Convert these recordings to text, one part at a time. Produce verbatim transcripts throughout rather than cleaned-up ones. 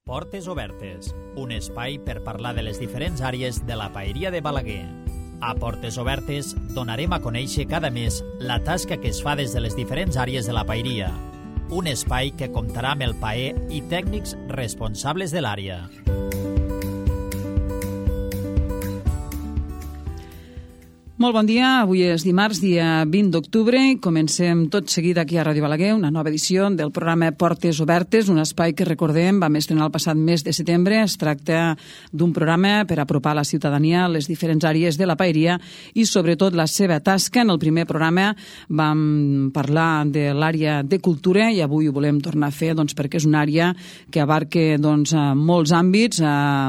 Portes Obertes, un espai per parlar de les diferents àrees de la paeria de Balaguer. A Portes Obertes donarem a conèixer cada mes la tasca que es fa des de les diferents àrees de la paeria. Un espai que comptarà amb el paer i tècnics responsables de l'àrea. Molt bon dia, avui és dimarts, dia vint d'octubre, i comencem tot seguit aquí a Ràdio Balaguer, una nova edició del programa Portes Obertes, un espai que recordem vam estrenar el passat mes de setembre. Es tracta d'un programa per apropar la ciutadania a les diferents àrees de la paeria i sobretot la seva tasca. En el primer programa vam parlar de l'àrea de cultura i avui ho volem tornar a fer doncs, perquè és una àrea que abarca doncs, molts àmbits,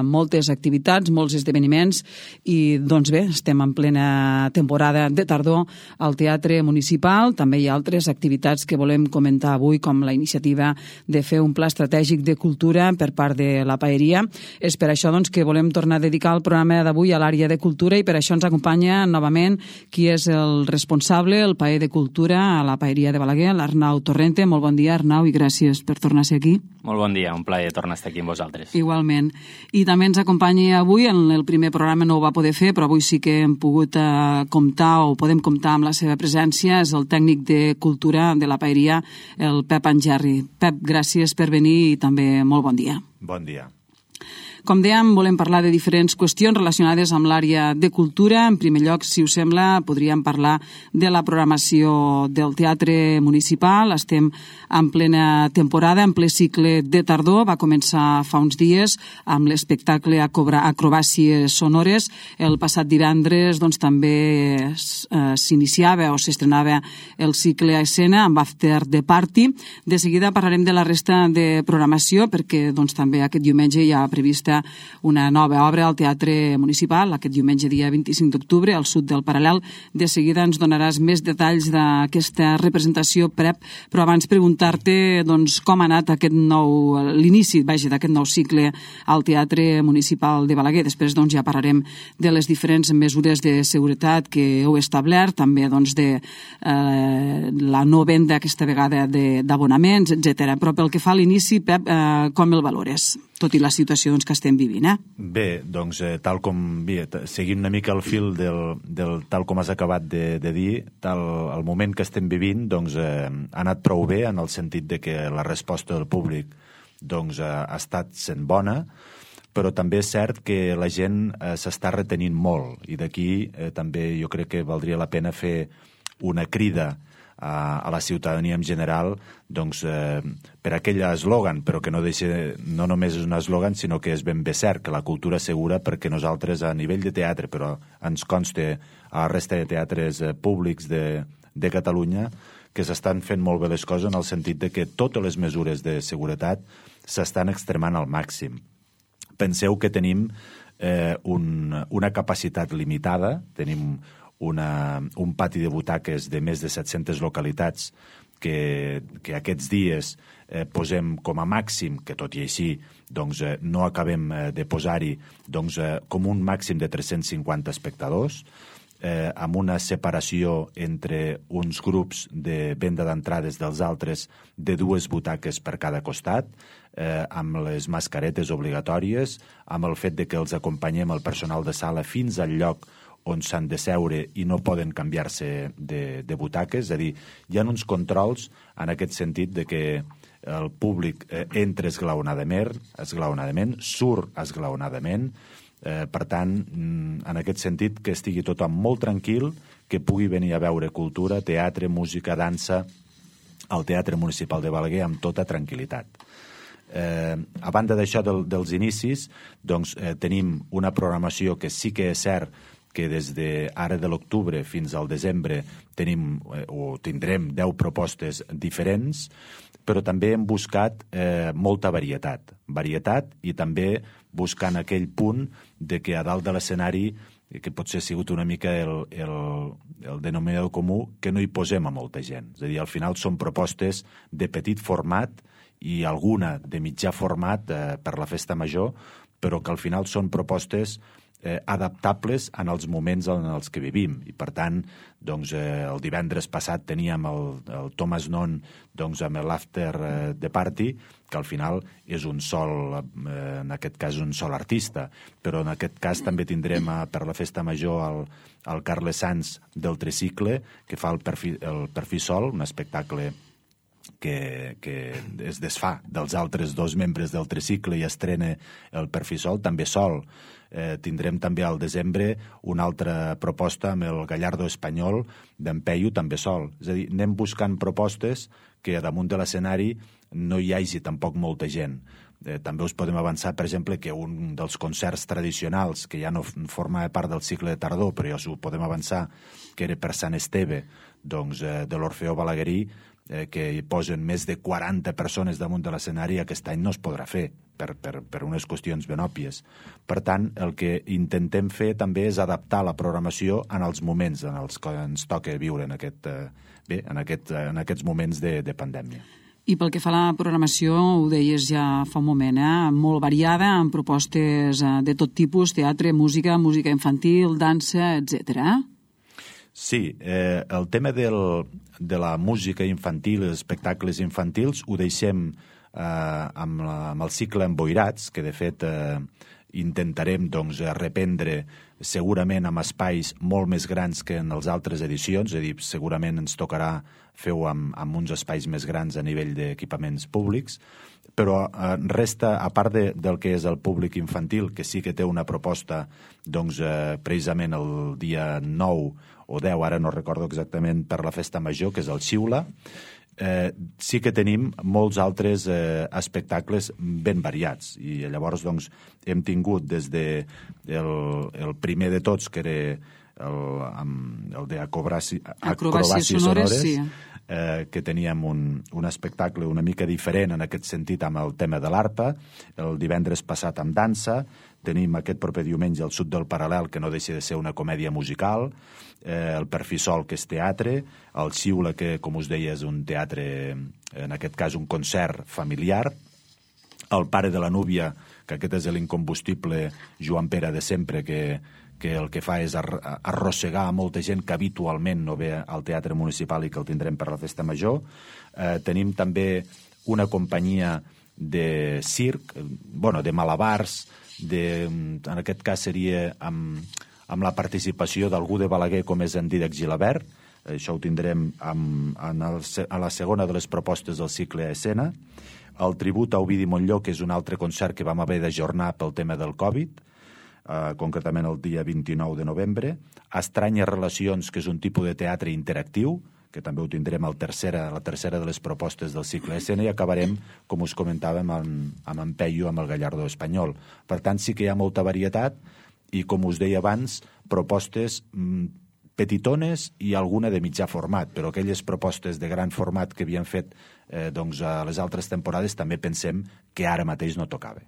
moltes activitats, molts esdeveniments i doncs bé, estem en plena temporada de tardor al Teatre Municipal. També hi ha altres activitats que volem comentar avui, com la iniciativa de fer un pla estratègic de cultura per part de la paeria. És per això doncs, que volem tornar a dedicar el programa d'avui a l'àrea de cultura i per això ens acompanya novament qui és el responsable, el paer de cultura a la paeria de Balaguer, l'Arnau Torrente. Molt bon dia, Arnau, i gràcies per tornar a ser aquí. Molt bon dia, un plaer tornar a estar aquí amb vosaltres. Igualment. I també ens acompanya avui, en el primer programa no ho va poder fer, però avui sí que hem pogut eh, comptar o podem comptar amb la seva presència, és el tècnic de cultura de la paeria, el Pep Angerri. Pep, gràcies per venir i també molt bon dia. Bon dia. Com dèiem, volem parlar de diferents qüestions relacionades amb l'àrea de cultura. En primer lloc, si us sembla, podríem parlar de la programació del Teatre Municipal. Estem en plena temporada, en ple cicle de tardor. Va començar fa uns dies amb l'espectacle Acrobàcies Sonores. El passat divendres doncs, també eh, s'iniciava o s'estrenava el cicle a escena amb After the Party. De seguida parlarem de la resta de programació perquè doncs, també aquest diumenge hi ha prevista una nova obra al Teatre Municipal, aquest diumenge dia vint-i-cinc d'octubre, al sud del Paral·lel. De seguida ens donaràs més detalls d'aquesta representació, Pep, però abans preguntar-te doncs, com ha anat aquest nou, l'inici vaja, d'aquest nou cicle al Teatre Municipal de Balaguer. Després doncs, ja parlarem de les diferents mesures de seguretat que heu establert, també doncs, de eh, la no venda aquesta vegada d'abonaments, etcètera. Però pel que fa a l'inici, Pep, eh, com el valores? Tot i la situació doncs, que estem vivint, eh? Bé, doncs, eh, tal com... Bé, seguint una mica el fil del, del tal com has acabat de, de dir, tal, el moment que estem vivint doncs, eh, ha anat prou bé en el sentit de que la resposta del públic doncs, eh, ha estat sent bona, però també és cert que la gent eh, s'està retenint molt i d'aquí eh, també jo crec que valdria la pena fer una crida a, a la ciutadania en general doncs, eh, per aquell eslògan, però que no, deixa, no només és un eslògan, sinó que és ben bé cert, que la cultura segura, perquè nosaltres a nivell de teatre, però ens consta a la resta de teatres eh, públics de, de Catalunya, que s'estan fent molt bé les coses en el sentit de que totes les mesures de seguretat s'estan extremant al màxim. Penseu que tenim eh, un, una capacitat limitada, tenim Una, un pati de butaques de més de set-centes localitats que, que aquests dies eh, posem com a màxim, que tot i així doncs, eh, no acabem eh, de posar-hi doncs, eh, com un màxim de tres-cents cinquanta espectadors, eh, amb una separació entre uns grups de venda d'entrades dels altres de dues butaques per cada costat, eh, amb les mascaretes obligatòries, amb el fet de que els acompanyem el personal de sala fins al lloc on s'han de seure i no poden canviar-se de, de butaques. És a dir, hi ha uns controls en aquest sentit de que el públic eh, entra esglaonadament, esglaonadament, surt esglaonadament. Eh, per tant, en aquest sentit, que estigui tothom molt tranquil, que pugui venir a veure cultura, teatre, música, dansa al Teatre Municipal de Balaguer amb tota tranquil·litat. Eh, a banda d'això del, dels inicis, doncs, eh, tenim una programació que sí que és cert que des d'ara de l'octubre fins al desembre tenim eh, o tindrem deu propostes diferents, però també hem buscat eh, molta varietat. Varietat i també buscant aquell punt de que a dalt de l'escenari, que potser ha sigut una mica el, el, el denominador comú, que no hi posem a molta gent. És a dir, al final són propostes de petit format i alguna de mitjà format eh, per la festa major, però que al final són propostes eh, adaptables en els moments en els que vivim. I, per tant, doncs, eh, el divendres passat teníem el, el Thomas Non doncs, amb l'After eh, de Party, que al final és un sol, eh, en aquest cas un sol artista, però en aquest cas també tindrem a, per la Festa Major el, el Carles Sanz del Tricicle, que fa el perfil, el perfil sol, un espectacle que, que es desfà dels altres dos membres del Tricicle i estrena el perfil sol, també sol. Eh, tindrem també al desembre una altra proposta amb el Gallardo Espanyol d'en Peyu, també sol. És a dir, anem buscant propostes que damunt de l'escenari no hi hagi tampoc molta gent. Eh, també us podem avançar, per exemple, que un dels concerts tradicionals, que ja no formava part del cicle de tardor, però ja us ho podem avançar, que era per Sant Esteve, doncs, eh, de l'Orfeó Balaguerí, eh, que hi posen més de quaranta persones damunt de l'escenari, aquest any no es podrà fer, per, per, per unes qüestions ben òbvies. Per tant, el que intentem fer també és adaptar la programació en els moments en els que ens toca viure en, aquest, eh, bé, en, aquest, en aquests moments de, de pandèmia. I pel que fa a la programació, ho deies ja fa un moment, eh? Molt variada, amb propostes de tot tipus, teatre, música, música infantil, dansa, etcètera. Sí, eh, el tema del, de la música infantil, els espectacles infantils, ho deixem eh, amb, la, amb el cicle Emboirats, que de fet eh, intentarem doncs, reprendre segurament amb espais molt més grans que en les altres edicions, és a dir, segurament ens tocarà fer-ho amb, amb uns espais més grans a nivell d'equipaments públics, però eh, resta, a part de, del que és el públic infantil, que sí que té una proposta doncs, eh, precisament el dia nou o deu, ara no recordo exactament, per la Festa Major, que és el Xiula, eh, sí que tenim molts altres eh, espectacles ben variats. I llavors doncs, hem tingut des de el, el primer de tots, que era el, el d'acrobàcies acrobàcies sonores, sonores sí. eh, que teníem un, un espectacle una mica diferent en aquest sentit amb el tema de l'arpa, el divendres passat amb dansa, tenim aquest proper diumenge el Sud del Paral·lel, que no deixa de ser una comèdia musical, eh, el Perfisol, que és teatre, el Xiula, que, com us deia, és un teatre, en aquest cas un concert familiar, el Pare de la Núvia, que aquest és l'incombustible Joan Pere de sempre, que, que el que fa és arrossegar a molta gent que habitualment no ve al Teatre Municipal i que el tindrem per la Festa Major. Eh, tenim també una companyia de circ, bueno, de malabars, de, en aquest cas seria amb, amb la participació d'algú de Balaguer com és en Dídac Gilabert. Això ho tindrem amb, en el, a la segona de les propostes del cicle a escena. El tribut a Ovidi Montllor, que és un altre concert que vam haver d'ajornar pel tema del Covid, eh, concretament el dia vint-i-nou de novembre. Estranyes Relacions, que és un tipus de teatre interactiu, que també ho tindrem al tercera, la tercera de les propostes del cicle escena, i acabarem, com us comentàvem, amb, amb en Peyu, amb el Gallardo Espanyol. Per tant, sí que hi ha molta varietat i, com us deia abans, propostes mm, petitones i alguna de mitjà format, però aquelles propostes de gran format que havien fet eh, doncs, a les altres temporades també pensem que ara mateix no tocava.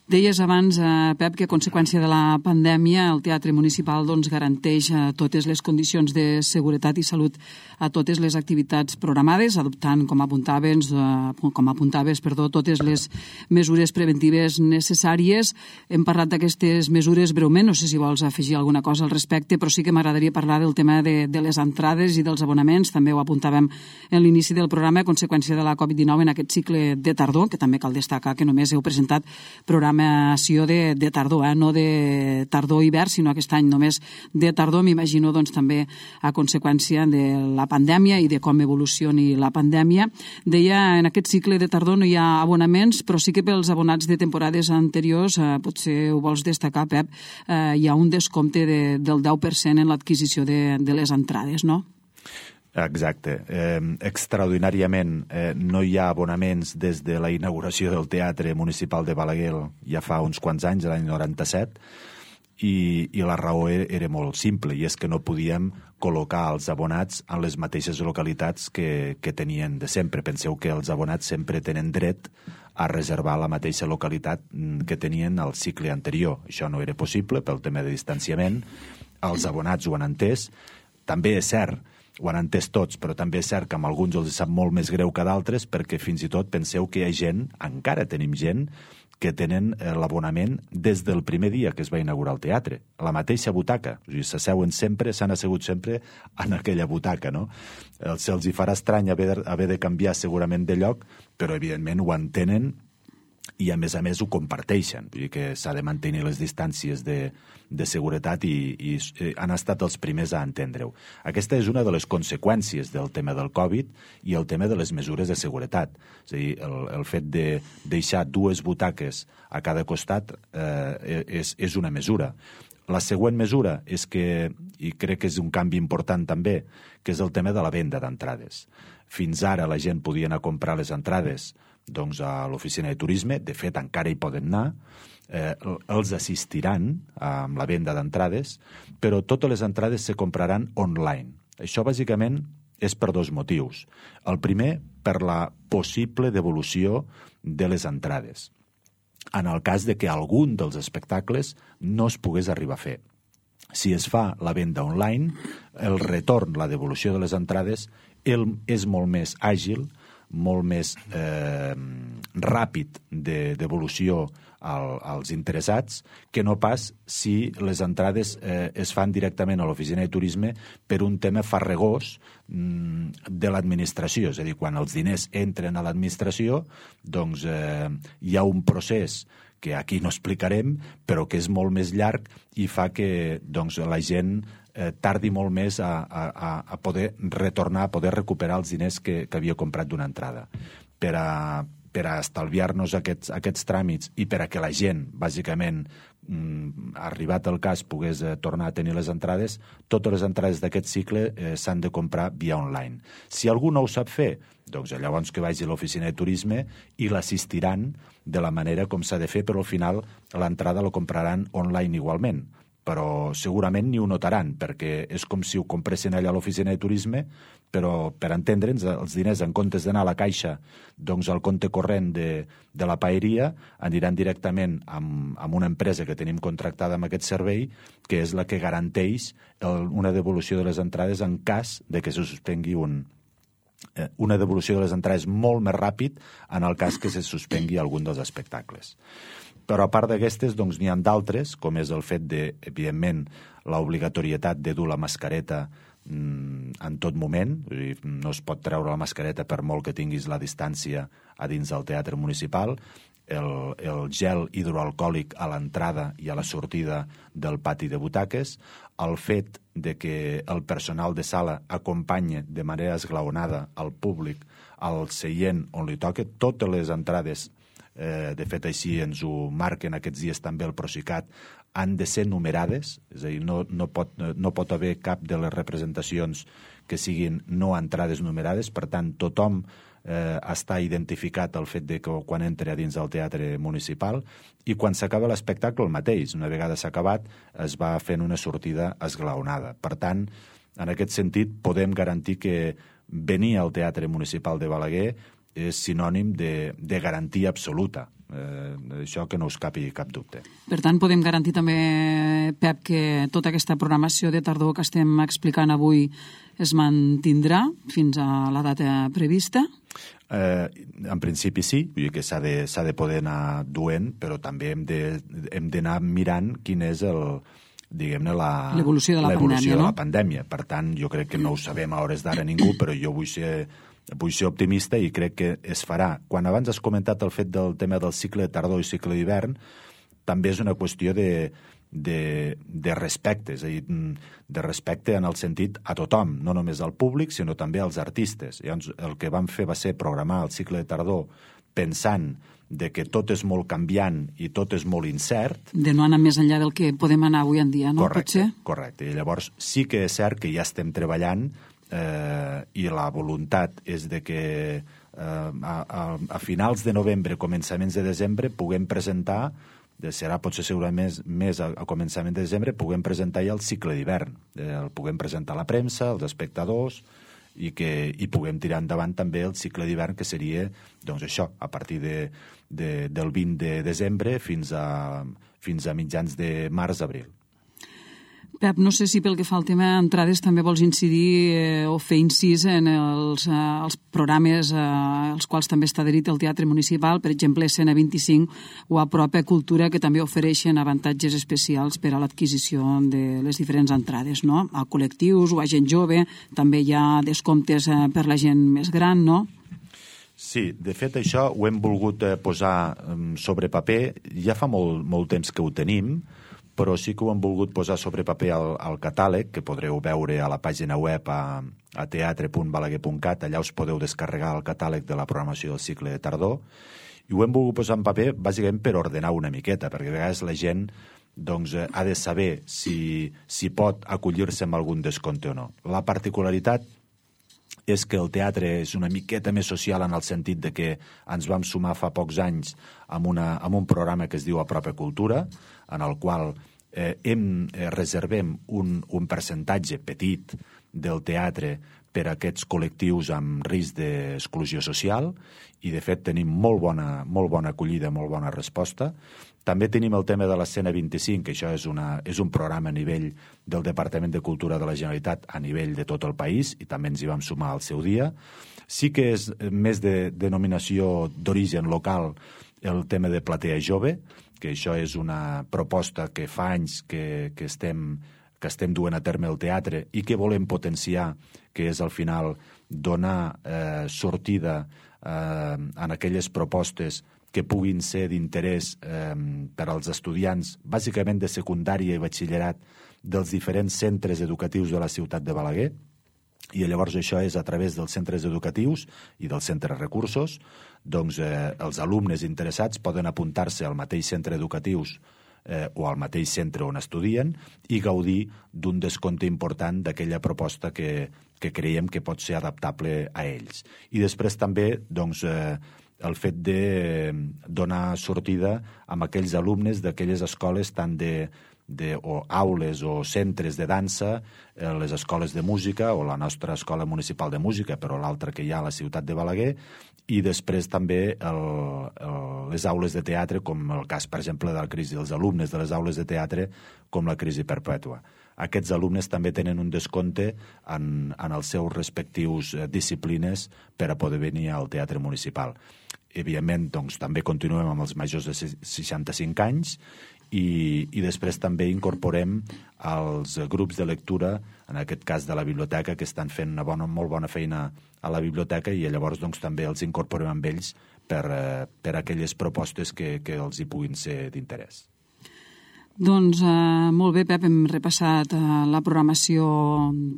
Deies abans, eh, Pep, que a conseqüència de la pandèmia el Teatre Municipal doncs, garanteix eh, totes les condicions de seguretat i salut a totes les activitats programades, adoptant, com apuntaves, eh, com apuntaves perdó, totes les mesures preventives necessàries. Hem parlat d'aquestes mesures breument, no sé si vols afegir alguna cosa al respecte, però sí que m'agradaria parlar del tema de, de les entrades i dels abonaments. També ho apuntàvem en l'inici del programa a conseqüència de la covid dinou en aquest cicle de tardor, que també cal destacar que només heu presentat programes de, de tardor, eh? No de tardor-hivern, sinó aquest any només de tardor, m'imagino doncs, també a conseqüència de la pandèmia i de com evolucioni la pandèmia. Deia, en aquest cicle de tardor no hi ha abonaments, però sí que pels abonats de temporades anteriors, eh, potser ho vols destacar, Pep, eh, hi ha un descompte de, del deu per cent en l'adquisició de, de les entrades, no? Exacte. Eh, extraordinàriament eh, no hi ha abonaments des de la inauguració del Teatre Municipal de Balaguer ja fa uns quants anys, l'any noranta-set, i, i la raó era, era molt simple, i és que no podíem col·locar els abonats en les mateixes localitats que, que tenien de sempre. Penseu que els abonats sempre tenen dret a reservar la mateixa localitat que tenien al cicle anterior. Això no era possible pel tema de distanciament. Els abonats ho han entès. També és cert ho han entès tots, però també és cert que amb alguns els sap molt més greu que d'altres, perquè fins i tot penseu que hi ha gent, encara tenim gent, que tenen l'abonament des del primer dia que es va inaugurar el teatre, a la mateixa butaca. O sigui, s'asseuen sempre, s'han assegut sempre en aquella butaca, no? Se'ls hi farà estrany haver de, haver de canviar segurament de lloc, però evidentment ho entenen i a més a més ho comparteixen. Vull dir que s'ha de mantenir les distàncies de, de seguretat i, i han estat els primers a entendre-ho. Aquesta és una de les conseqüències del tema del Covid i el tema de les mesures de seguretat. És a dir, el, el fet de deixar dues butaques a cada costat eh, és, és una mesura. La següent mesura és que, i crec que és un canvi important també, que és el tema de la venda d'entrades. Fins ara la gent podia anar a comprar les entrades doncs, a l'oficina de turisme, de fet encara hi poden anar, eh, els assistiran amb la venda d'entrades, però totes les entrades se compraran online. Això bàsicament és per dos motius. El primer, per la possible devolució de les entrades, en el cas de que algun dels espectacles no es pogués arribar a fer. Si es fa la venda online, el retorn, la devolució de les entrades, el, és molt més àgil, molt més eh, ràpid de devolució al, als interessats que no pas si les entrades eh, es fan directament a l'oficina de turisme per un tema farragós mm, de l'administració. És a dir, quan els diners entren a l'administració, doncs eh, hi ha un procés que aquí no explicarem, però que és molt més llarg i fa que doncs, la gent eh, tardi molt més a, a, a poder retornar, a poder recuperar els diners que, que havia comprat d'una entrada. Per a, per a estalviar-nos aquests, aquests tràmits i per a que la gent, bàsicament, mm, arribat el cas, pogués eh, tornar a tenir les entrades, totes les entrades d'aquest cicle eh, s'han de comprar via online. Si algú no ho sap fer, doncs llavors que vagi a l'oficina de turisme i l'assistiran de la manera com s'ha de fer, però al final l'entrada la compraran online igualment. Però segurament ni ho notaran, perquè és com si ho compressin allà a l'oficina de turisme, però per entendre'ns, els diners, en comptes d'anar a la caixa, doncs al compte corrent de, de la paeria, aniran directament amb, amb una empresa que tenim contractada amb aquest servei, que és la que garanteix el, una devolució de les entrades en cas de que se suspengui un, eh, una devolució de les entrades molt més ràpid en el cas que se suspengui algun dels espectacles. Però a part d'aquestes, doncs n'hi ha d'altres, com és el fet de, evidentment, l'obligatorietat de dur la mascareta mm, en tot moment. No es pot treure la mascareta per molt que tinguis la distància a dins del teatre municipal. El, el gel hidroalcohòlic a l'entrada i a la sortida del pati de butaques, el fet de que el personal de sala acompanye de manera esglaonada al públic al seient on li toca, totes les entrades, eh, de fet així ens ho marquen aquests dies també el Procicat, han de ser numerades, és a dir, no, no, pot, no pot haver cap de les representacions que siguin no entrades numerades, per tant tothom eh, està identificat el fet de que quan entra a dins del teatre municipal i quan s'acaba l'espectacle el mateix, una vegada s'ha acabat es va fent una sortida esglaonada. Per tant, en aquest sentit podem garantir que venir al Teatre Municipal de Balaguer és sinònim de, de garantia absoluta. Eh, això que no us capi cap dubte. Per tant, podem garantir també, Pep, que tota aquesta programació de tardor que estem explicant avui es mantindrà fins a la data prevista? Eh, en principi sí, vull dir que s'ha de, s'ha de poder anar duent, però també hem de, hem d'anar mirant quin és el diguem-ne l'evolució de la pandèmia, de no? la pandèmia. Per tant, jo crec que no ho sabem a hores d'ara ningú, però jo vull ser vull ser optimista i crec que es farà. Quan abans has comentat el fet del tema del cicle de tardor i cicle d'hivern, també és una qüestió de, de, de respecte, és a dir, de respecte en el sentit a tothom, no només al públic, sinó també als artistes. Llavors, el que vam fer va ser programar el cicle de tardor pensant de que tot és molt canviant i tot és molt incert. De no anar més enllà del que podem anar avui en dia, no? Correcte, correcte. I llavors sí que és cert que ja estem treballant eh, i la voluntat és de que eh, a, a, a finals de novembre, començaments de desembre, puguem presentar, serà potser segurament més, més a, a començament de desembre, puguem presentar ja el cicle d'hivern. Eh, el puguem presentar a la premsa, als espectadors, i que i puguem tirar endavant també el cicle d'hivern, que seria, doncs això, a partir de, de, del vint de desembre fins a, fins a mitjans de març-abril. Pep, no sé si pel que fa al tema entrades també vols incidir eh, o fer incís en els, eh, els programes eh, als quals també està adherit el Teatre Municipal, per exemple, Escena vint-i-cinc o Apropa Cultura, que també ofereixen avantatges especials per a l'adquisició de les diferents entrades, no? A col·lectius o a gent jove, també hi ha descomptes eh, per la gent més gran, no? Sí, de fet això ho hem volgut eh, posar sobre paper, ja fa molt, molt temps que ho tenim, però sí que ho hem volgut posar sobre paper al, al catàleg, que podreu veure a la pàgina web a, a teatre punt balaguer punt cat, allà us podeu descarregar el catàleg de la programació del cicle de tardor, i ho hem volgut posar en paper bàsicament per ordenar una miqueta, perquè a vegades la gent doncs, ha de saber si, si pot acollir-se amb algun descompte o no. La particularitat és que el teatre és una miqueta més social en el sentit de que ens vam sumar fa pocs anys amb, una, amb un programa que es diu Apropa Cultura, en el qual eh, hem, eh, reservem un, un percentatge petit del teatre per a aquests col·lectius amb risc d'exclusió social i, de fet, tenim molt bona, molt bona acollida, molt bona resposta. També tenim el tema de l'Escena vint-i-cinc, que això és, una, és un programa a nivell del Departament de Cultura de la Generalitat a nivell de tot el país i també ens hi vam sumar al seu dia. Sí que és més de denominació d'origen local el tema de Platea Jove, que això és una proposta que fa anys que, que, estem, que estem duent a terme el teatre i que volem potenciar, que és al final donar eh, sortida eh, en aquelles propostes que puguin ser d'interès eh, per als estudiants, bàsicament de secundària i batxillerat, dels diferents centres educatius de la ciutat de Balaguer. I llavors això és a través dels centres educatius i dels centres recursos, doncs eh, els alumnes interessats poden apuntar-se al mateix centre educatius eh, o al mateix centre on estudien i gaudir d'un descompte important d'aquella proposta que, que creiem que pot ser adaptable a ells. I després també doncs, eh, el fet de donar sortida amb aquells alumnes d'aquelles escoles tant de De, o aules o centres de dansa, eh, les escoles de música o la nostra escola municipal de música, però l'altra que hi ha a la ciutat de Balaguer, i després també el, el, les aules de teatre, com el cas, per exemple, de la crisi dels alumnes de les aules de teatre, com la crisi perpètua. Aquests alumnes també tenen un descompte en, en els seus respectius eh, disciplines per a poder venir al teatre municipal. Evidentment, doncs, també continuem amb els majors de seixanta-cinc anys i, i després també incorporem els grups de lectura, en aquest cas de la biblioteca, que estan fent una bona, molt bona feina a la biblioteca i llavors doncs, també els incorporem amb ells per, eh, per aquelles propostes que, que els hi puguin ser d'interès. Doncs eh, molt bé, Pep, hem repassat eh, la programació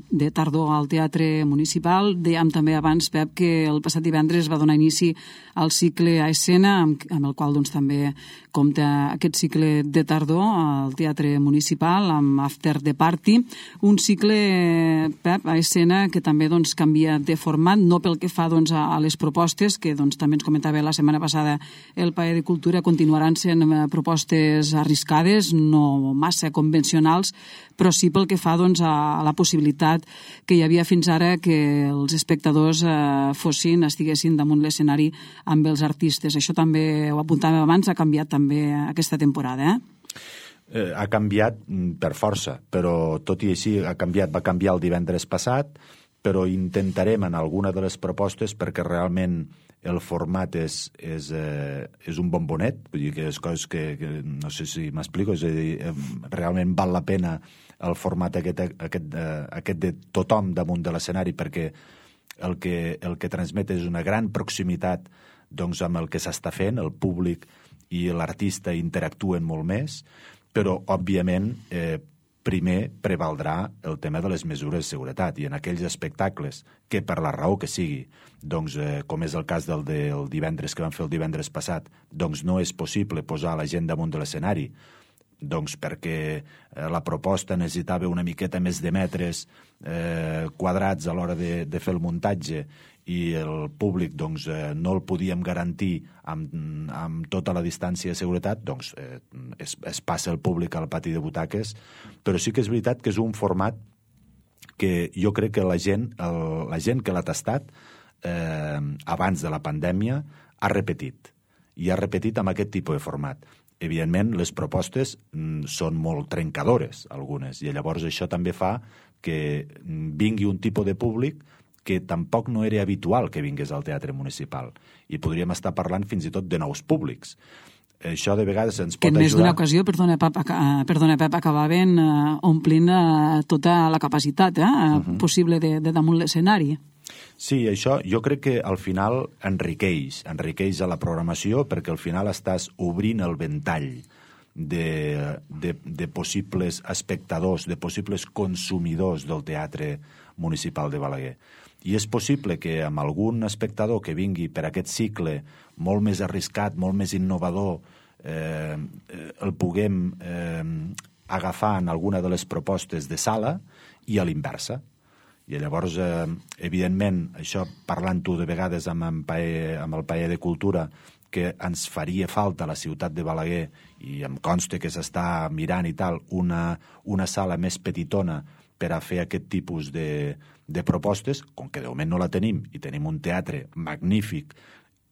de tardor al Teatre Municipal. Dèiem també abans, Pep, que el passat divendres va donar inici al cicle a escena, amb, amb el qual doncs, també compta aquest cicle de tardor al Teatre Municipal, amb After the Party. Un cicle, Pep, a escena que també doncs, canvia de format, no pel que fa doncs, a, a les propostes, que doncs, també ens comentava la setmana passada el Paer de Cultura, continuaran sent eh, propostes arriscades, no massa convencionals, però sí pel que fa doncs, a la possibilitat que hi havia fins ara que els espectadors eh, fossin, estiguessin damunt l'escenari amb els artistes. Això també ho apuntàvem abans, ha canviat també aquesta temporada, eh? Eh, ha canviat per força, però tot i així ha canviat, va canviar el divendres passat, però intentarem en alguna de les propostes perquè realment el format és, és, eh, és un bombonet, vull dir que és coses que, que no sé si m'explico, és a dir, eh, realment val la pena el format aquest, aquest, eh, aquest de tothom damunt de l'escenari perquè el que, el que transmet és una gran proximitat doncs, amb el que s'està fent, el públic i l'artista interactuen molt més, però, òbviament, eh, primer prevaldrà el tema de les mesures de seguretat i en aquells espectacles que per la raó que sigui, doncs, eh, com és el cas del, del divendres que vam fer el divendres passat, doncs no és possible posar la gent damunt de l'escenari, doncs perquè eh, la proposta necessitava una miqueta més de metres eh, quadrats a l'hora de, de fer el muntatge i el públic doncs, eh, no el podíem garantir amb, amb tota la distància de seguretat, doncs eh, es, es passa el públic al pati de butaques, però sí que és veritat que és un format que jo crec que la gent, el, la gent que l'ha tastat eh, abans de la pandèmia ha repetit, i ha repetit amb aquest tipus de format. evidentment, les propostes són molt trencadores, algunes, i llavors això també fa que vingui un tipus de públic que tampoc no era habitual que vingués al teatre municipal. I podríem estar parlant fins i tot de nous públics. Això de vegades ens pot ajudar... Que en més d'una ocasió, perdona Pep, perdona, Pep acabaven uh, omplint uh, tota la capacitat eh, uh -huh. possible de, de damunt l'escenari. Sí, això jo crec que al final enriqueix, enriqueix a la programació perquè al final estàs obrint el ventall de, de, de possibles espectadors, de possibles consumidors del teatre municipal de Balaguer. I és possible que amb algun espectador que vingui per aquest cicle molt més arriscat, molt més innovador, eh, el puguem eh, agafar en alguna de les propostes de sala i a l'inversa. I llavors, eh, evidentment, això parlant-ho de vegades amb, en Paer, amb el Paer de Cultura, que ens faria falta a la ciutat de Balaguer, i em consta que s'està mirant i tal, una, una sala més petitona per a fer aquest tipus de, de propostes, com que de moment no la tenim, i tenim un teatre magnífic,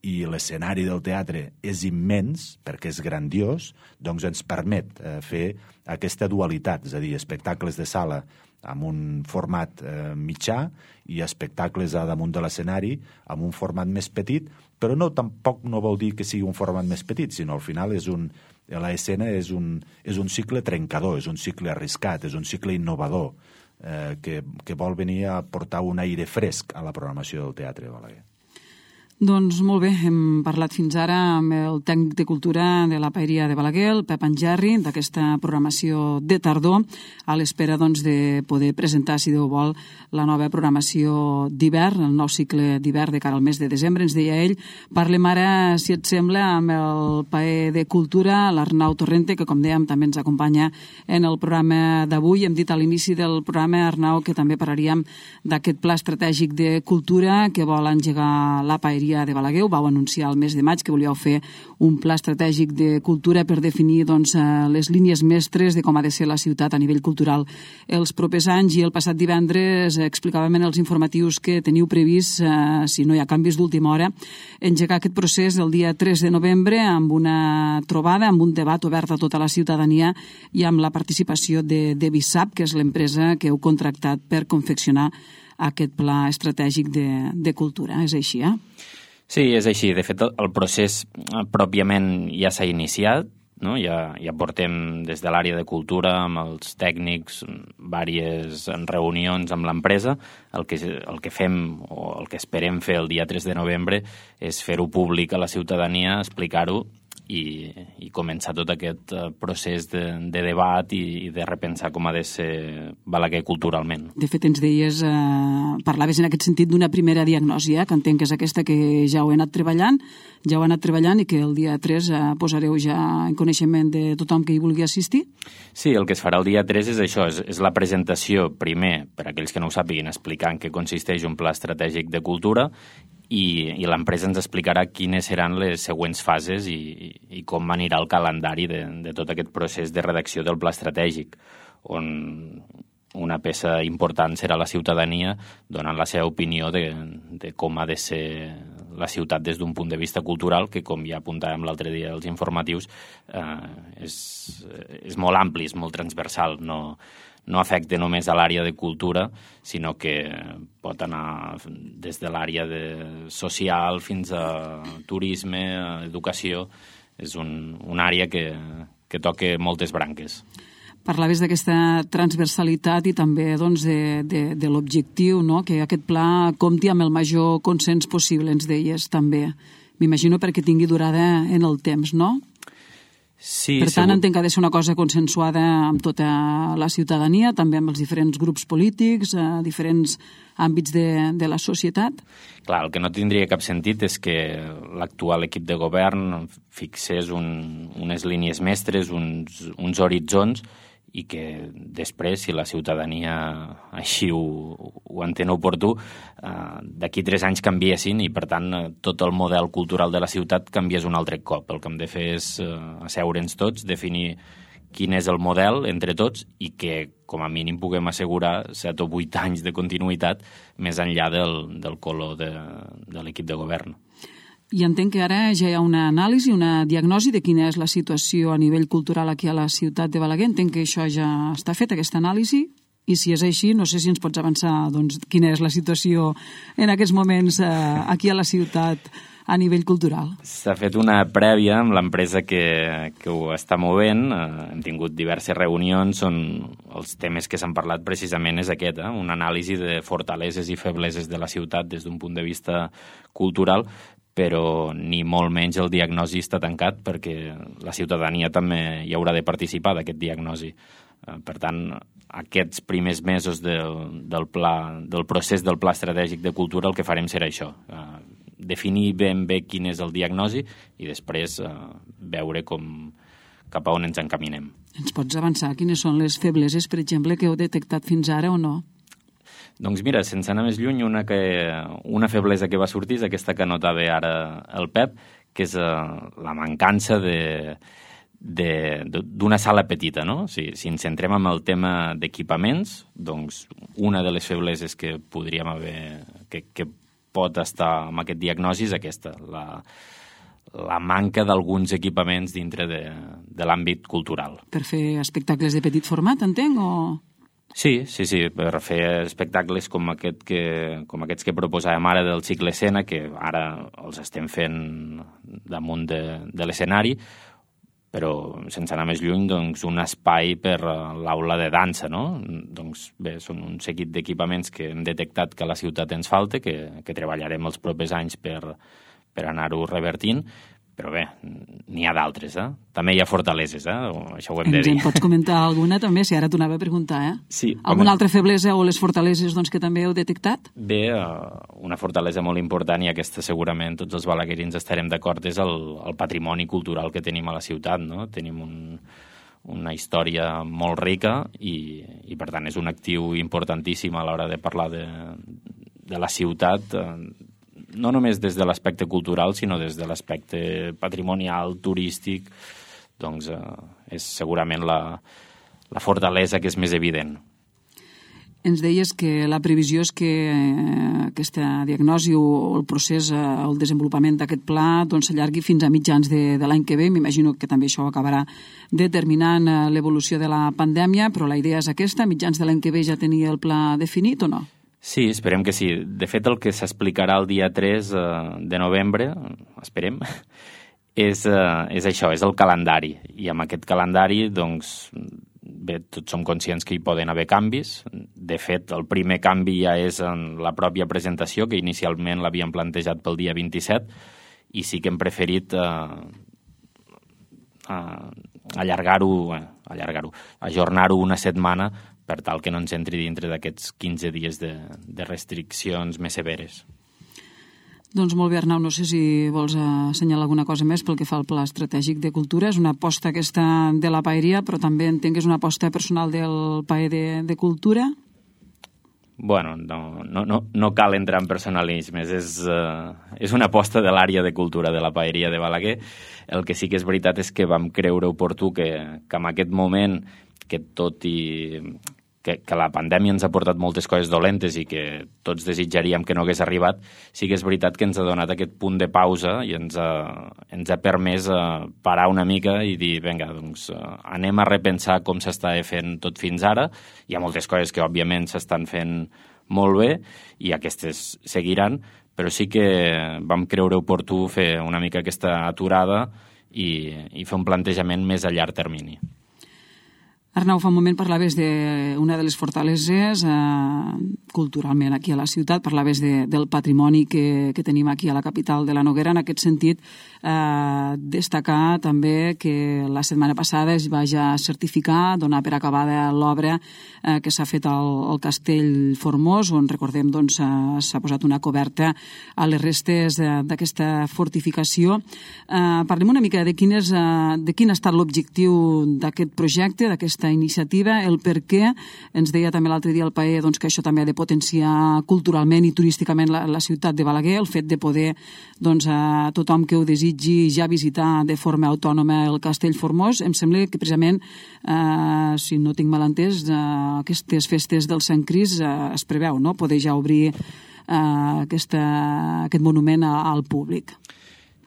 i l'escenari del teatre és immens, perquè és grandiós, doncs ens permet eh, fer aquesta dualitat, és a dir, espectacles de sala amb un format eh, mitjà i espectacles a damunt de l'escenari amb un format més petit, però no, tampoc no vol dir que sigui un format més petit, sinó al final és un, l'escena és un, és un cicle trencador, és un cicle arriscat, és un cicle innovador, eh, que, que vol venir a portar un aire fresc a la programació del Teatre de Balaguer. Doncs molt bé, hem parlat fins ara amb el tècnic de cultura de la Paeria de Balaguer, el Pep Angerri, d'aquesta programació de tardor, a l'espera doncs, de poder presentar, si Déu vol, la nova programació d'hivern, el nou cicle d'hivern de cara al mes de desembre, ens deia ell. Parlem ara, si et sembla, amb el Paer de Cultura, l'Arnau Torrente, que com dèiem també ens acompanya en el programa d'avui. Hem dit a l'inici del programa, Arnau, que també parlaríem d'aquest pla estratègic de cultura que vol engegar la Paeria de Balaguer. Ho vau anunciar el mes de maig, que volíeu fer un pla estratègic de cultura per definir doncs, les línies mestres de com ha de ser la ciutat a nivell cultural els propers anys, i el passat divendres explicàvem en els informatius que teniu previst, eh, si no hi ha canvis d'última hora, engegar aquest procés el dia tres de novembre amb una trobada, amb un debat obert a tota la ciutadania i amb la participació de, de Visap, que és l'empresa que heu contractat per confeccionar aquest pla estratègic de, de cultura. És així, eh? Sí, és així. De fet, el procés pròpiament ja s'ha iniciat, no? Ja, ja portem des de l'àrea de cultura amb els tècnics diverses reunions amb l'empresa. El que, el que fem o el que esperem fer el dia tres de novembre és fer-ho públic a la ciutadania, explicar-ho i, i començar tot aquest procés de, de debat i, i de repensar com ha de ser Balaguer culturalment. De fet, ens deies, eh, parlaves en aquest sentit d'una primera diagnosi, eh, que entenc que és aquesta que ja ho he anat treballant, ja ho he anat treballant i que el dia tres eh, posareu ja en coneixement de tothom que hi vulgui assistir? Sí, el que es farà el dia tres és això, és, és la presentació, primer, per a aquells que no ho sàpiguin, explicant què consisteix un pla estratègic de cultura, i, i l'empresa ens explicarà quines seran les següents fases i, i, i com anirà el calendari de, de tot aquest procés de redacció del pla estratègic, on una peça important serà la ciutadania donant la seva opinió de, de com ha de ser la ciutat des d'un punt de vista cultural, que, com ja apuntàvem l'altre dia als informatius, eh, és, és molt ampli, és molt transversal, no... no afecta només a l'àrea de cultura, sinó que pot anar des de l'àrea de social fins a turisme, a educació. És un, una àrea que, que toca moltes branques. Parlaves d'aquesta transversalitat i també doncs, de, de, de l'objectiu, no? Que aquest pla compti amb el major consens possible, ens deies també. M'imagino perquè tingui durada en el temps, no? Sí, per tant, segur. entenc que ha de ser una cosa consensuada amb tota la ciutadania, també amb els diferents grups polítics, a diferents àmbits de, de la societat. Clar, el que no tindria cap sentit és que l'actual equip de govern fixés un, unes línies mestres, uns, uns horitzons, i que després, si la ciutadania així ho, ho entén oportú, eh, d'aquí tres anys canviessin i, per tant, tot el model cultural de la ciutat canviés un altre cop. El que hem de fer és eh, asseure'ns tots, definir quin és el model entre tots i que, com a mínim, puguem assegurar set o vuit anys de continuïtat més enllà del, del color de, de l'equip de govern. I entenc que ara ja hi ha una anàlisi, una diagnosi de quina és la situació a nivell cultural aquí a la ciutat de Balaguer. Entenc que això ja està fet, aquesta anàlisi, i si és així, no sé si ens pots avançar doncs, quina és la situació en aquests moments eh, aquí a la ciutat a nivell cultural. S'ha fet una prèvia amb l'empresa que, que ho està movent. Eh, hem tingut diverses reunions on els temes que s'han parlat precisament és aquest, eh? Una anàlisi de fortaleses i febleses de la ciutat des d'un punt de vista cultural, però ni molt menys el diagnosi està tancat perquè la ciutadania també hi haurà de participar d'aquest diagnosi. Per tant, aquests primers mesos del, del, pla, del procés del Pla Estratègic de Cultura el que farem serà això, definir ben bé quin és el diagnosi i després veure com, cap a on ens encaminem. Ens pots avançar quines són les febleses, per exemple, que heu detectat fins ara o no? Doncs mira, sense anar més lluny, una, que, una feblesa que va sortir és aquesta que notava ara el Pep, que és uh, la mancança de, de, d'una sala petita, no? Si, si ens centrem en el tema d'equipaments, doncs una de les febleses que podríem haver, que, que pot estar amb aquest diagnosi és aquesta, la, la manca d'alguns equipaments dintre de, de l'àmbit cultural. Per fer espectacles de petit format, entenc, o...? Sí, sí, sí, per fer espectacles com, aquest que, com aquests que proposàvem ara del cicle escena, que ara els estem fent damunt de, de l'escenari, però sense anar més lluny, doncs, un espai per l'aula de dansa, no? Doncs bé, són un seguit d'equipaments que hem detectat que a la ciutat ens falta, que, que treballarem els propers anys per, per anar-ho revertint, però bé, n'hi ha d'altres, eh? També hi ha fortaleses, eh? Això ho hem de dir. Ens en pots comentar alguna també, si ara t'ho anava a preguntar, eh? Sí. Alguna altra feblesa o les fortaleses doncs, que també heu detectat? Bé, una fortalesa molt important, i aquesta segurament tots els balaguerins estarem d'acord, és el, el patrimoni cultural que tenim a la ciutat, no? Tenim un, una història molt rica i, i per tant és un actiu importantíssim a l'hora de parlar de, de la ciutat, no només des de l'aspecte cultural, sinó des de l'aspecte patrimonial, turístic, doncs eh, és segurament la, la fortalesa que és més evident. Ens deies que la previsió és que eh, aquesta diagnosi o el procés, eh, el desenvolupament d'aquest pla doncs, s'allargui fins a mitjans de, de l'any que ve. M'imagino que també això acabarà determinant eh, l'evolució de la pandèmia, però la idea és aquesta, mitjans de l'any que ve ja tenir el pla definit o no? Sí, esperem que sí. De fet, el que s'explicarà el dia tres de novembre, esperem, és, és això, és el calendari. I amb aquest calendari, doncs, bé, tots som conscients que hi poden haver canvis. De fet, el primer canvi ja és en la pròpia presentació, que inicialment l'havíem plantejat pel dia vint-i-set, i sí que hem preferit eh, eh, allargar-ho, eh, allargar-ho, ajornar-ho una setmana per tal que no ens entri dintre d'aquests quinze dies de, de restriccions més severes. Doncs molt bé, Arnau, no sé si vols assenyalar alguna cosa més pel que fa al Pla Estratègic de Cultura. És una aposta aquesta de la paeria, però també entenc que és una aposta personal del paer de, de Cultura? Bueno, no, no, no, no cal entrar en personalismes. És, uh, és una aposta de l'àrea de cultura de la paeria de Balaguer. El que sí que és veritat és que vam creure oportú que, que en aquest moment, que tot i que, que la pandèmia ens ha portat moltes coses dolentes i que tots desitjaríem que no hagués arribat, sí que és veritat que ens ha donat aquest punt de pausa i ens ha, ens ha permès uh, parar una mica i dir, vinga, doncs uh, anem a repensar com s'està fent tot fins ara. Hi ha moltes coses que òbviament s'estan fent molt bé i aquestes seguiran, però sí que vam creure oportú fer una mica aquesta aturada i, i fer un plantejament més a llarg termini. Arnau, fa un moment parlaves d'una de les fortaleses eh, culturalment aquí a la ciutat, parlaves de, del patrimoni que, que tenim aquí a la capital de la Noguera. En aquest sentit, eh, destacar també que la setmana passada es va ja certificar, donar per acabada l'obra eh, que s'ha fet al, al Castell Formós, on recordem doncs, s'ha posat una coberta a les restes d'aquesta fortificació. Eh, parlem una mica de quin, és, eh, de quin ha estat l'objectiu d'aquest projecte, d'aquesta iniciativa, el per què. Ens deia també l'altre dia el paer doncs, que això també ha de potenciar culturalment i turísticament la, la ciutat de Balaguer, el fet de poder doncs, a tothom que ho desitgi ja visitar de forma autònoma el Castell Formós. Em sembla que precisament, eh, si no tinc mal entès, eh, aquestes festes del Sant Cris eh, es preveu, no?, poder ja obrir eh, aquesta, aquest monument a, al públic.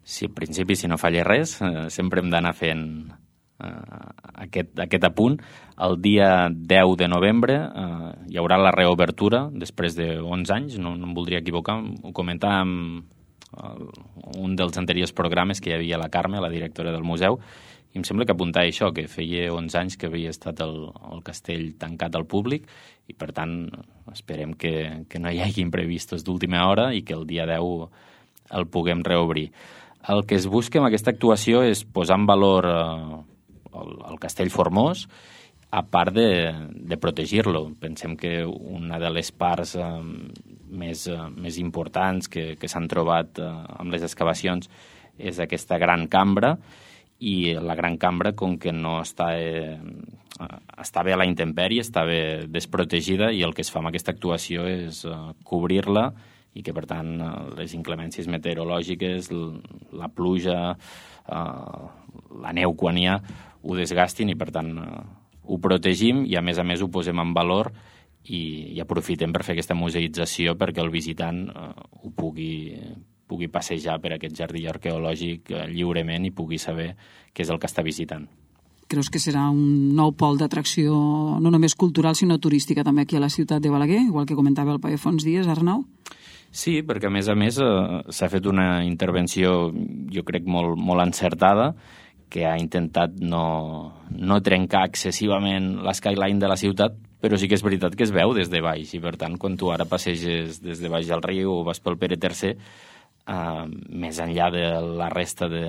Sí, en principi, si no falla res, eh, sempre hem d'anar fent eh, aquest, aquest apunt. El dia deu de novembre eh, hi haurà la reobertura, després d'onze anys, no, no em voldria equivocar, ho comentàvem en un dels anteriors programes que hi havia la Carme, la directora del museu, i em sembla que apuntava això, que feia onze anys que havia estat el, el castell tancat al públic i, per tant, esperem que, que no hi hagi imprevistos d'última hora i que el dia deu el puguem reobrir. El que es busca amb aquesta actuació és posar en valor eh, el, el castell Formós, a part de, de protegir-lo. Pensem que una de les parts eh, més, eh, més importants que, que s'han trobat eh, amb les excavacions és aquesta gran cambra, i la gran cambra, com que no està, eh, està bé a la intempèrie, està bé desprotegida, i el que es fa amb aquesta actuació és eh, cobrir-la i que, per tant, eh, les inclemències meteorològiques, la pluja, eh, la neu quan hi ha, ho desgastin i, per tant, eh, ho protegim i, a més a més, ho posem en valor i, i aprofitem per fer aquesta museïtzació perquè el visitant eh, ho pugui pugui passejar per aquest jardí arqueològic lliurement i pugui saber què és el que està visitant. Creus que serà un nou pol d'atracció no només cultural sinó turística també aquí a la ciutat de Balaguer, igual que comentava el Pere Fons Díaz, Arnau? Sí, perquè a més a més eh, s'ha fet una intervenció, jo crec, molt, molt encertada, que ha intentat no, no trencar excessivament l'eskyline de la ciutat, però sí que és veritat que es veu des de baix, i per tant, quan tu ara passeges des de baix del riu o vas pel Pere tercer, Uh, més enllà de la resta de,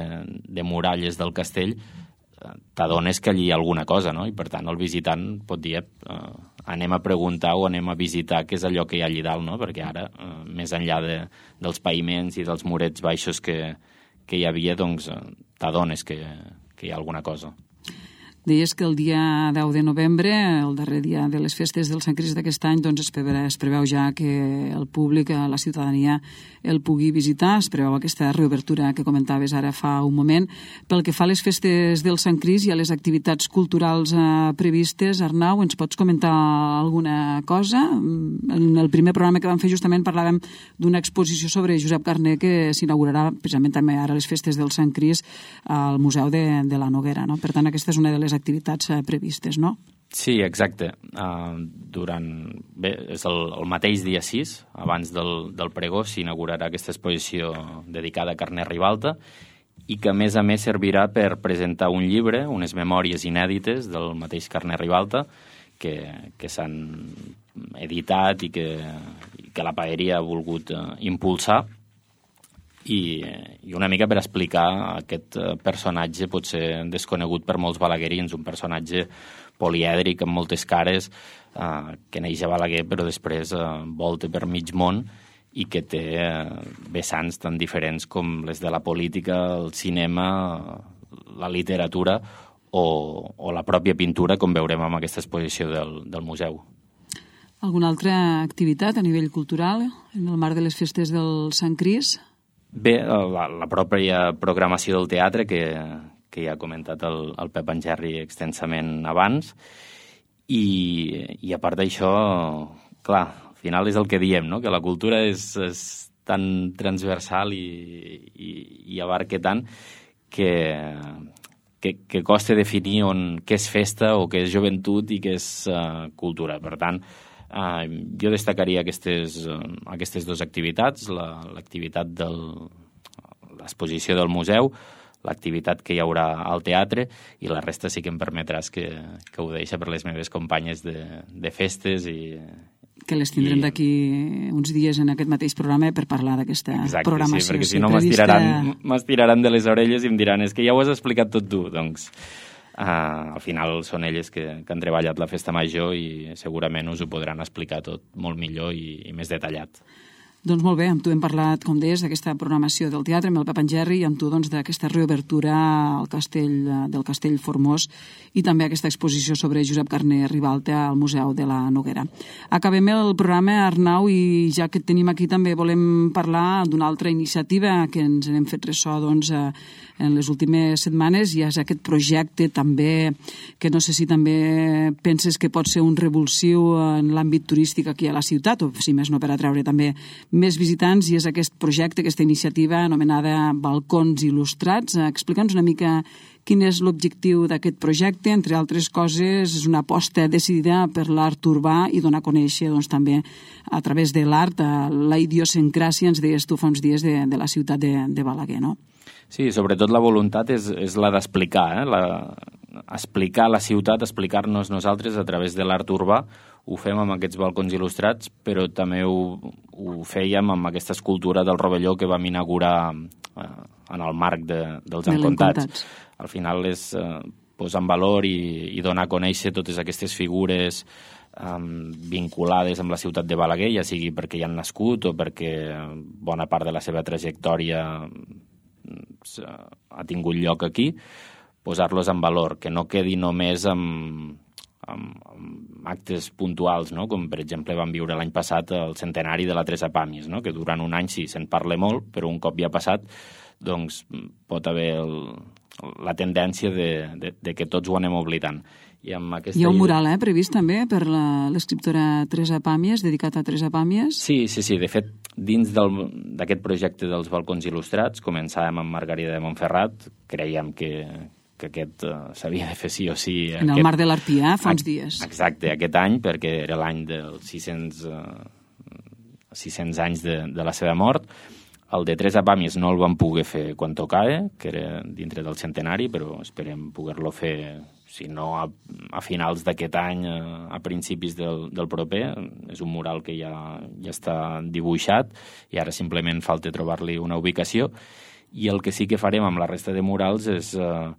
de muralles del castell, uh, t'adones que allí hi ha alguna cosa, no? I per tant el visitant pot dir uh, anem a preguntar o anem a visitar què és allò que hi ha allí dalt, no? Perquè ara, uh, més enllà de, dels paviments i dels murets baixos que, que hi havia, doncs uh, t'adones que, que hi ha alguna cosa. Deies que el dia deu de novembre, el darrer dia de les festes del Sant Crist d'aquest any, doncs es preveu, es preveu ja que el públic, la ciutadania, el pugui visitar. Es preveu aquesta reobertura que comentaves ara fa un moment. Pel que fa a les festes del Sant Crist i a les activitats culturals eh, previstes, Arnau, ens pots comentar alguna cosa? En el primer programa que vam fer justament parlàvem d'una exposició sobre Josep Carner que s'inaugurarà precisament també ara a les festes del Sant Crist al Museu de, de la Noguera, no? Per tant, aquesta és una de les activitats eh, previstes, no? Sí, exacte. Uh, durant... Bé, és el, el mateix dia sis, abans del, del pregó, s'inaugurarà aquesta exposició dedicada a Carner Ribalta i que, a més a més, servirà per presentar un llibre, unes memòries inèdites del mateix Carner Ribalta, que, que s'han editat i que, i que la paeria ha volgut uh, impulsar, i, i una mica per explicar aquest personatge potser desconegut per molts balaguerins, un personatge polièdric amb moltes cares, eh, que neix a Balaguer però després eh, volta per mig món i que té eh, vessants tan diferents com les de la política, el cinema, la literatura o, o la pròpia pintura, com veurem amb aquesta exposició del, del museu. Alguna altra activitat a nivell cultural en el marc de les festes del Sant Crist? Bé, la, la pròpia programació del teatre, que, que ja ha comentat el, el Pep Angerri extensament abans, i, i a part d'això, clar, al final és el que diem, no? Que la cultura és, és tan transversal i, i, i abarca tant que, que, que costa definir on, què és festa o què és joventut i què és uh, cultura. Per tant, Uh, jo destacaria aquestes, uh, aquestes dues activitats, la, l'activitat de l'exposició del museu, l'activitat que hi haurà al teatre, i la resta sí que em permetràs que, que ho deixa per les meves companyes de, de festes i... Que les tindrem i... d'aquí uns dies en aquest mateix programa per parlar d'aquesta Exacte, programació. Sí, perquè si no m'estiraran, m'estiraran de les orelles i em diran és que ja ho has explicat tot tu, doncs... Uh, al final són elles que, que han treballat la festa major i segurament us ho podran explicar tot molt millor i, i més detallat. Doncs molt bé, amb tu hem parlat, com deies, d'aquesta programació del teatre, amb el Pep Angerri, i amb tu doncs, d'aquesta reobertura al castell, del Castell Formós i també aquesta exposició sobre Josep Carner Ribalta al Museu de la Noguera. Acabem el programa, Arnau, i ja que et tenim aquí també volem parlar d'una altra iniciativa que ens n'hem fet ressò doncs, en les últimes setmanes, i és aquest projecte també, que no sé si també penses que pot ser un revulsiu en l'àmbit turístic aquí a la ciutat, o si més no per atreure també més visitants i és aquest projecte, aquesta iniciativa anomenada Balcons Il·lustrats. Explica'ns una mica quin és l'objectiu d'aquest projecte. Entre altres coses, és una aposta decidida per l'art urbà i donar a conèixer doncs, també a través de l'art la idiosincràsia, ens deies tu fa uns dies, de, de la ciutat de, de Balaguer, no? Sí, sobretot la voluntat és, és la d'explicar, eh? la, explicar la ciutat, explicar-nos nosaltres a través de l'art urbà. Ho fem amb aquests balcons il·lustrats, però també ho, ho fèiem amb aquesta escultura del rovelló que vam inaugurar eh, en el marc de, dels Encontats. Al final és eh, posar en valor i, i donar a conèixer totes aquestes figures um, vinculades amb la ciutat de Balaguer, ja sigui perquè hi han nascut o perquè bona part de la seva trajectòria ha tingut lloc aquí, posar-los en valor, que no quedi només amb, amb, amb actes puntuals, no? Com per exemple vam viure l'any passat el centenari de la Teresa Pàmies, no? Que durant un any sí se'n parla molt, però un cop ja ha passat doncs pot haver el, la tendència de, de, de que tots ho anem oblidant. I amb aquesta Hi ha un mural eh, previst també per l'escriptora Teresa Pàmies, dedicat a Teresa Pàmies? Sí, sí, sí. De fet, dins d'aquest projecte dels balcons il·lustrats, començàvem amb Margarida de Montferrat, creiem que, que aquest uh, s'havia de fer sí o sí. En aquest... el Marc de l'Arpià, fa uns dies. Exacte, aquest any, perquè era l'any dels sis-cents, uh, sis-cents anys de, de la seva mort. El de Teresa Pàmies no el vam poder fer quan tocava, que era dintre del centenari, però esperem poder-lo fer, si no a, a finals d'aquest any, a, a principis del, del proper. És un mural que ja, ja està dibuixat i ara simplement falta trobar-li una ubicació. I el que sí que farem amb la resta de murals és eh,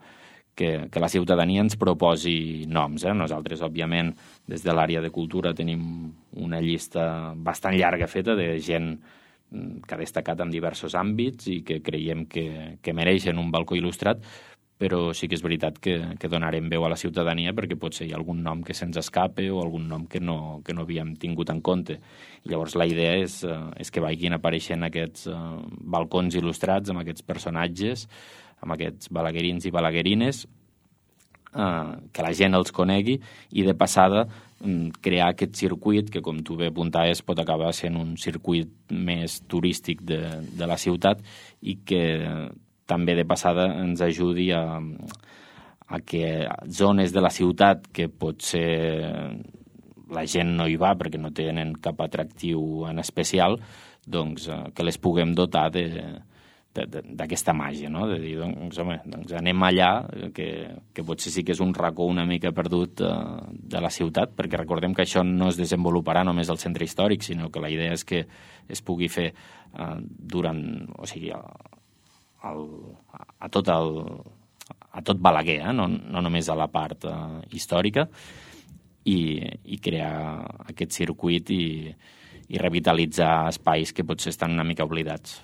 que, que la ciutadania ens proposi noms. Eh? Nosaltres, òbviament, des de l'àrea de cultura tenim una llista bastant llarga feta de gent que ha destacat en diversos àmbits i que creiem que, que mereixen un balcó il·lustrat, però sí que és veritat que, que donarem veu a la ciutadania perquè potser hi ha algun nom que se'ns escape o algun nom que no, que no havíem tingut en compte. I llavors la idea és, és que vagin apareixent aquests uh, balcons il·lustrats amb aquests personatges, amb aquests balaguerins i balaguerines, uh, que la gent els conegui i de passada crear aquest circuit que, com tu bé apuntaves, pot acabar sent un circuit més turístic de, de la ciutat i que també de passada ens ajudi a, a que zones de la ciutat que potser la gent no hi va perquè no tenen cap atractiu en especial, doncs que les puguem dotar de d'aquesta màgia, no? De dir, doncs, home, doncs anem allà, que, que potser sí que és un racó una mica perdut uh, de la ciutat, perquè recordem que això no es desenvoluparà només al centre històric, sinó que la idea és que es pugui fer uh, durant, o sigui, a, a, a tot el a tot Balaguer, eh? no, no només a la part uh, històrica, i, i crear aquest circuit i, i revitalitzar espais que potser estan una mica oblidats.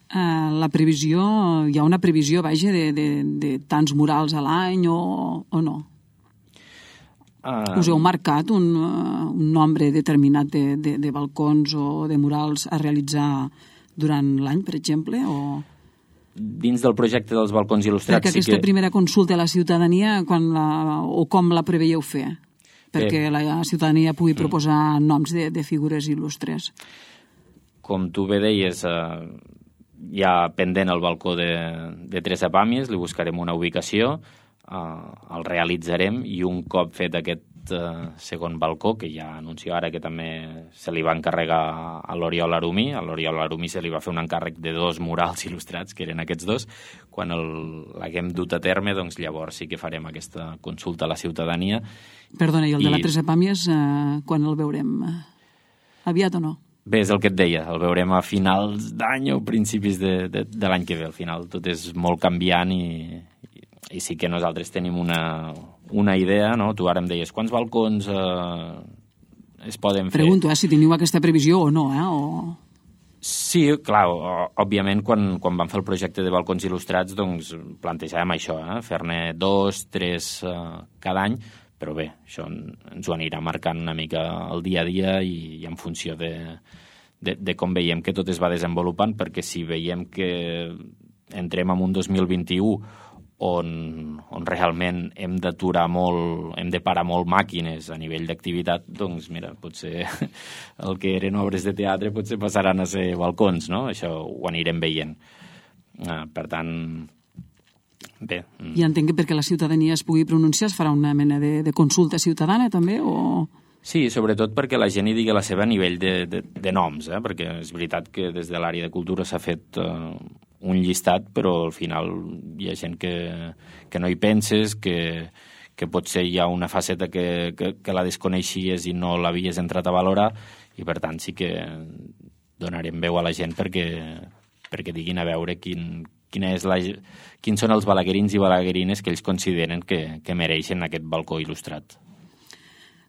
Uh, la previsió, hi ha una previsió, vaja, de, de, de tants murals a l'any o, o no? Uh... Us heu marcat un, uh, un nombre determinat de, de, de balcons o de murals a realitzar durant l'any, per exemple, o...? Dins del projecte dels balcons il·lustrats... Perquè aquesta sí que... primera consulta a la ciutadania, quan la, o com la preveieu fer? Perquè Bé. la ciutadania pugui proposar mm. noms de, de figures il·lustres. Com tu bé deies... Uh... hi ha pendent el balcó de, de Teresa Pàmies, li buscarem una ubicació, eh, el realitzarem i un cop fet aquest eh, segon balcó, que ja anuncio ara que també se li va encarregar a l'Oriol Arumí, a l'Oriol Arumí se li va fer un encàrrec de dos murals il·lustrats, que eren aquests dos, quan l'haguem dut a terme, doncs llavors sí que farem aquesta consulta a la ciutadania. Perdona, i el I... de la Teresa Pàmies, eh, quan el veurem? Aviat o no? Bé, és el que et deia, el veurem a finals d'any o principis de, de, de l'any que ve. Al final tot és molt canviant i, i, i sí que nosaltres tenim una, una idea, no? Tu ara em deies, quants balcons eh, es poden fer? Pregunto, eh, si teniu aquesta previsió o no, eh? O... Sí, clar, òbviament quan, quan vam fer el projecte de balcons il·lustrats doncs plantejàvem això, eh? Fer-ne dos, tres eh, cada any, però bé, això ens ho anirà marcant una mica el dia a dia i, i en funció de, de, de com veiem que tot es va desenvolupant, perquè si veiem que entrem en un dos mil vint-i-u on, on realment hem d'aturar molt, hem de parar molt màquines a nivell d'activitat, doncs mira, potser el que eren obres de teatre potser passaran a ser balcons, no? Això ho anirem veient. Uh, per tant, bé... I entenc que perquè la ciutadania es pugui pronunciar es farà una mena de, de consulta ciutadana també, o...? Sí, sobretot perquè la gent hi digui la seva a nivell de, de, de noms, eh? Perquè és veritat que des de l'àrea de cultura s'ha fet uh, un llistat, però al final hi ha gent que, que no hi penses, que, que potser hi ha una faceta que, que, que la desconeixies i no l'havies entrat a valorar, i per tant sí que donarem veu a la gent perquè, perquè diguin a veure quin, quina és la, quins són els balaguerins i balaguerines que ells consideren que, que mereixen aquest balcó il·lustrat.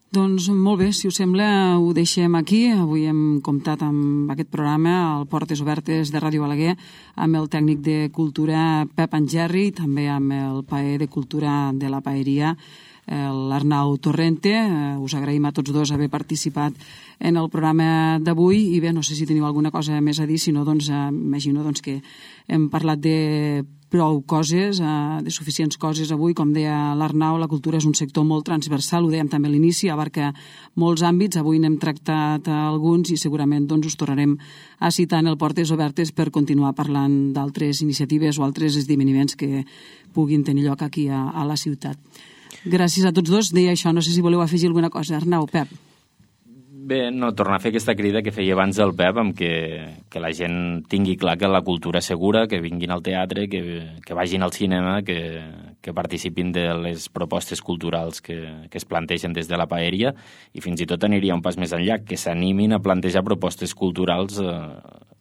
Doncs molt bé, si us sembla ho deixem aquí. Avui hem comptat amb aquest programa al Portes Obertes de Ràdio Balaguer amb el tècnic de cultura Pep Angerri i també amb el paer de cultura de la paeria, l'Arnau Torrente. Us agraïm a tots dos haver participat en el programa d'avui i bé, no sé si teniu alguna cosa més a dir, si no, doncs imagino doncs, que hem parlat de prou coses, de suficients coses avui. Com deia l'Arnau, la cultura és un sector molt transversal, ho dèiem també a l'inici, abarca molts àmbits. Avui n'hem tractat alguns i segurament doncs, us tornarem a citar en el Portes Obertes per continuar parlant d'altres iniciatives o altres esdeveniments que puguin tenir lloc aquí a, a la ciutat. Gràcies a tots dos. Deia això, no sé si voleu afegir alguna cosa. Arnau, Pep. Bé, no, tornar a fer aquesta crida que feia abans el Pep, amb que, que la gent tingui clar que la cultura és segura, que vinguin al teatre, que, que vagin al cinema, que, que participin de les propostes culturals que, que es plantegen des de la paeria, i fins i tot aniria un pas més enllà, que s'animin a plantejar propostes culturals eh,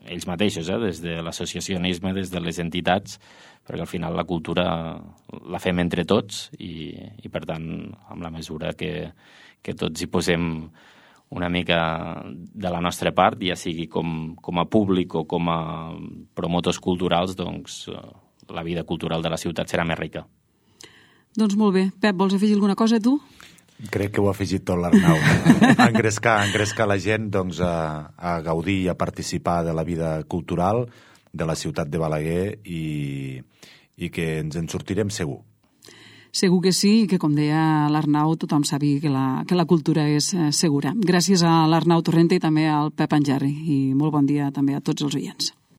ells mateixos, eh, des de l'associacionisme, des de les entitats, perquè al final la cultura la fem entre tots i, i per tant, amb la mesura que, que tots hi posem una mica de la nostra part, ja sigui com, com a públic o com a promotors culturals, doncs la vida cultural de la ciutat serà més rica. Doncs molt bé. Pep, vols afegir alguna cosa, tu? Crec que ho ha afegit tot l'Arnau. engrescar, engrescar la gent doncs, a, a gaudir i a participar de la vida cultural de la ciutat de Balaguer i, i que ens en sortirem segur. Segur que sí, i que, com deia l'Arnau, tothom sàpiga que la, que la cultura és eh, segura. Gràcies a l'Arnau Torrente i també al Pep Angerri. I molt bon dia també a tots els oients.